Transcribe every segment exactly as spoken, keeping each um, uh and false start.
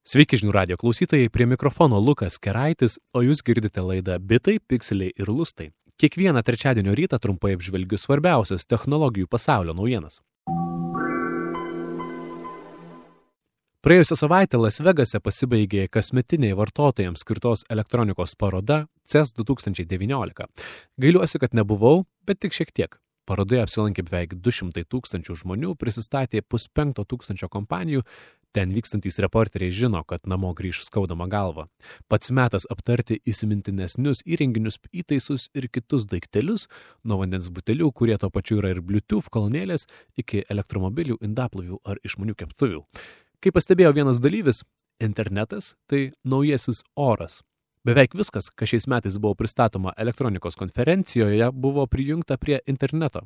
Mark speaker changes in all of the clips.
Speaker 1: Sveiki žinių radijo klausytojai, prie mikrofono Lukas Keraitis, o jūs girdite laidą Bitai, Pikseliai ir Lustai. Kiekvieną trečiadienio rytą trumpai apžvelgiu svarbiausias technologijų pasaulio naujienas. Praėjusią savaitę Las Vegase pasibaigė kasmetinė vartotojams skirtos elektronikos paroda C E S du tūkstančiai devyniolika. Gailiuosi, kad nebuvau, bet tik šiek tiek. Parodoje apsilankė beveik du šimtai tūkstančių žmonių, prisistatė puspenkto tūkstančio kompanijų. Ten vykstantys reporteriai žino, kad namo grįž skaudama galva. Pats metas aptarti įsimintinesnius įrenginius, įtaisus ir kitus daiktelius, nuo vandens butelių, kurie to pačiu yra ir Bluetooth kolonėlės, iki elektromobilių, indaplovių ar išmanių keptuvių. Kaip pastebėjo vienas dalyvis, internetas tai naujasis oras. Beveik viskas, kas šiais metais buvo pristatoma elektronikos konferencijoje, buvo prijungta prie interneto.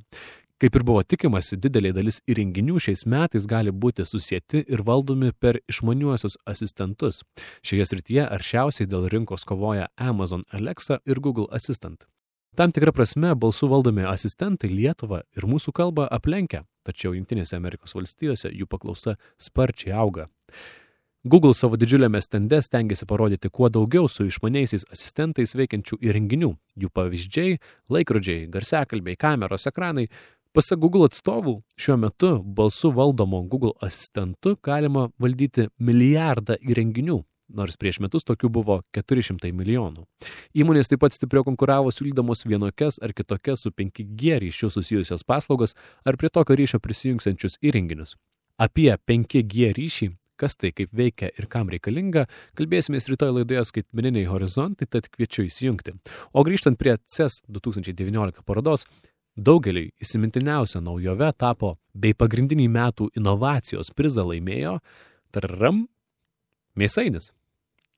Speaker 1: Kaip ir buvo tikimasi, didelė dalis įrenginių šiais metais gali būti susieti ir valdomi per išmaniuosius asistentus. Šioje srityje aršiausiai dėl rinkos kovoja Amazon Alexa ir Google Assistant. Tam tikra prasme balsų valdomi asistentai Lietuvą ir mūsų kalbą aplenkia, tačiau Jungtinėse Amerikos valstijose jų paklausa sparčiai auga. Google savo didžiuliame stende stengiasi parodyti kuo daugiau su išmaniaisiais asistentais veikiančių įrenginių. Jų pavyzdžiai – laikrodžiai, garsiakalbiai, kameros, ekranai. Pasak Google atstovų, šiuo metu balsu valdomo Google asistentu galima valdyti milijardą įrenginių, nors prieš metus tokių buvo keturi šimtai milijonų. Įmonės taip pat stipriau konkuravo siūlydamos vienokias ar kitokias su penki G ryšiu susijusios paslaugas ar prie tokio ryšio prisijungsiančius įrenginius. Apie penki G ryšį, kas tai, kaip veikia ir kam reikalinga, kalbėsimės rytoj laidoje Skaitmeniniai horizontai, tad kviečiu įsijungti. O grįžtant prie C E S du tūkstančiai devyniolika parodos, daugeliui įsimintiniausia naujove tapo bei pagrindinį metų inovacijos prizą laimėjo tararam, mėsainis.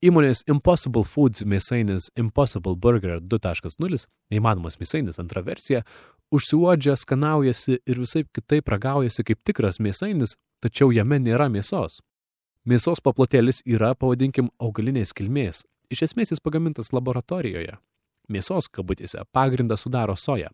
Speaker 1: Įmonės Impossible Foods mėsainis Impossible Burger du taškas nulis, neįmanomas mėsainis antra versija, užsiuodžia, skanaujasi ir visaip kitaip ragaujasi kaip tikras mėsainis, tačiau jame nėra mėsos. Mėsos paplotėlis yra, pavadinkim, augalinės kilmės. Iš esmės jis pagamintas laboratorijoje. Mėsos, kabutėse, pagrindą sudaro soja.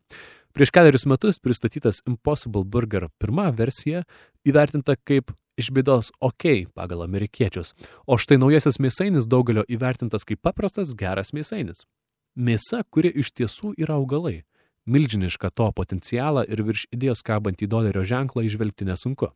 Speaker 1: Prieš keliarius metus pristatytas Impossible Burger pirma versija įvertinta kaip iš bėdos OK pagal amerikiečius, o štai naujasis mėsainis daugelio įvertintas kaip paprastas geras mėsainis. Mėsa, kuri iš tiesų yra augalai. Milžinišką to potencialą ir virš idėjos kabantį dolerio ženklą įžvelgti nesunku.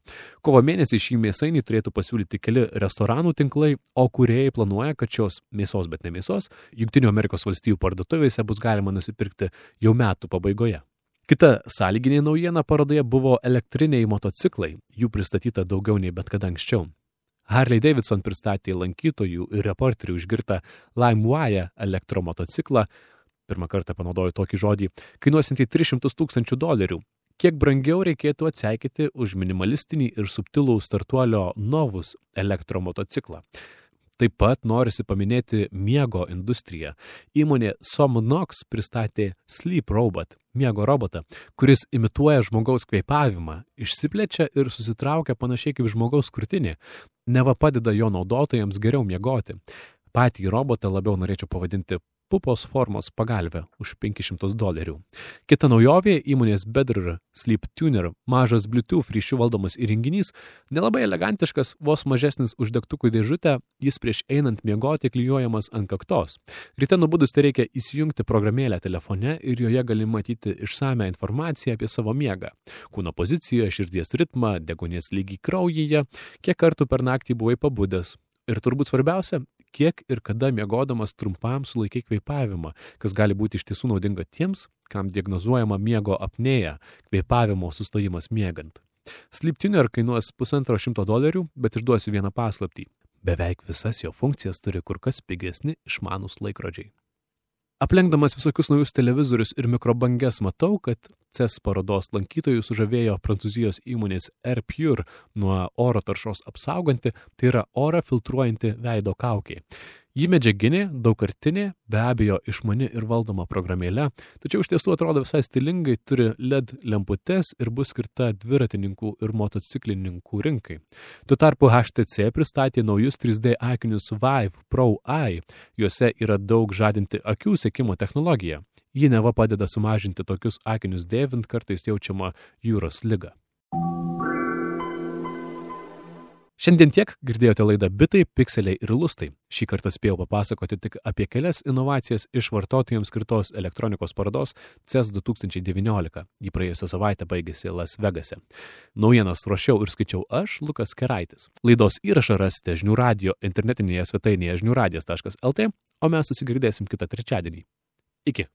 Speaker 1: Kovo mėnesį šį mėsainį turėtų pasiūlyti keli restoranų tinklai, o kūrėjai planuoja, kad šios mėsos, bet ne mėsos, Jungtinių Amerikos valstijų parduotuvėse bus galima nusipirkti jau metų pabaigoje. Kita sąlyginė naujiena parodoje buvo elektriniai motociklai, jų pristatyta daugiau nei bet kada anksčiau. Harley Davidson pristatė lankytojų ir reporterių išgirtą LimeWire elektromotociklą, pirmą kartą panaudoju tokį žodį, kainuosiantį tris šimtus tūkstančių dolerių. Kiek brangiau reikėtų atseikėti už minimalistinį ir subtilų startuolio Novus elektromotociklą. Taip pat norisi paminėti miego industriją. Įmonė Somnox pristatė Sleep Robot, miego robotą, kuris imituoja žmogaus kvėpavimą, išsiplečia ir susitraukia panašiai kaip žmogaus krūtinė, neva padeda jo naudotojams geriau miegoti. Patį robotą labiau norėčiau pavadinti pupos formos pagalvę už penkis šimtus dolerių. Kita naujovė – įmonės Bedr Sleep Tuner, mažas Bluetooth ryšiu valdomas įrenginys, nelabai elegantiškas, vos mažesnis už degtukų dėžutę, jis prieš einant miegoti klijuojamas ant kaktos. Ryte nubudus tai reikia įsijungti programėlę telefone ir joje gali matyti išsamią informaciją apie savo miegą. Kūno poziciją, širdies ritmą, deguonies lygį kraujyje, kiek kartų per naktį buvai pabudęs. Ir turbūt svarbiausia, kiek ir kada miegodamas trumpam sulaikai kvėpavimą, kas gali būti iš tiesų naudinga tiems, kam diagnozuojama miego apnėja, kvėpavimo sustojimas miegant. Sleep Tuner kainuos pusantro šimto dolerių, bet išduosiu vieną paslaptį. Beveik visas jo funkcijas turi kur kas pigesni išmanūs laikrodžiai. Aplenkdamas visokius naujus televizorius ir mikrobanges matau, kad C E S parodos lankytojų sužavėjo prancūzijos įmonės Air Pure nuo oro taršos apsauganti, tai yra orą filtruojanti veido kaukė. Ji medžiaginė, daugkartinė, be abejo išmani ir valdoma programėle, tačiau iš tiesų atrodo visai stilingai, turi L E D lemputes ir bus skirta dviratininkų ir motociklininkų rinkai. Tuo tarpu H T C pristatė naujus trys D akinius Vive Pro Eye, juose yra daug žadinti akių sekimo technologija. Ji neva padeda sumažinti tokius akinius dėvint kartais jaučiamą jūros ligą. Šiandien tiek, girdėjote laidą Bitai, pikseliai ir lustai. Šį kartą spėjau papasakoti tik apie kelias inovacijas iš vartotojams skirtos elektronikos parodos C E S du tūkstančiai devyniolika. Ji praėjusią savaitę baigėsi Las Vegase. Naujienas ruošiau ir skaičiau aš, Lukas Keraitis. Laidos įrašą rasite Žinių radijo internetinėje svetainėje žinių radijas taškas el tė, o mes susigirdėsim kitą trečiadienį. Iki.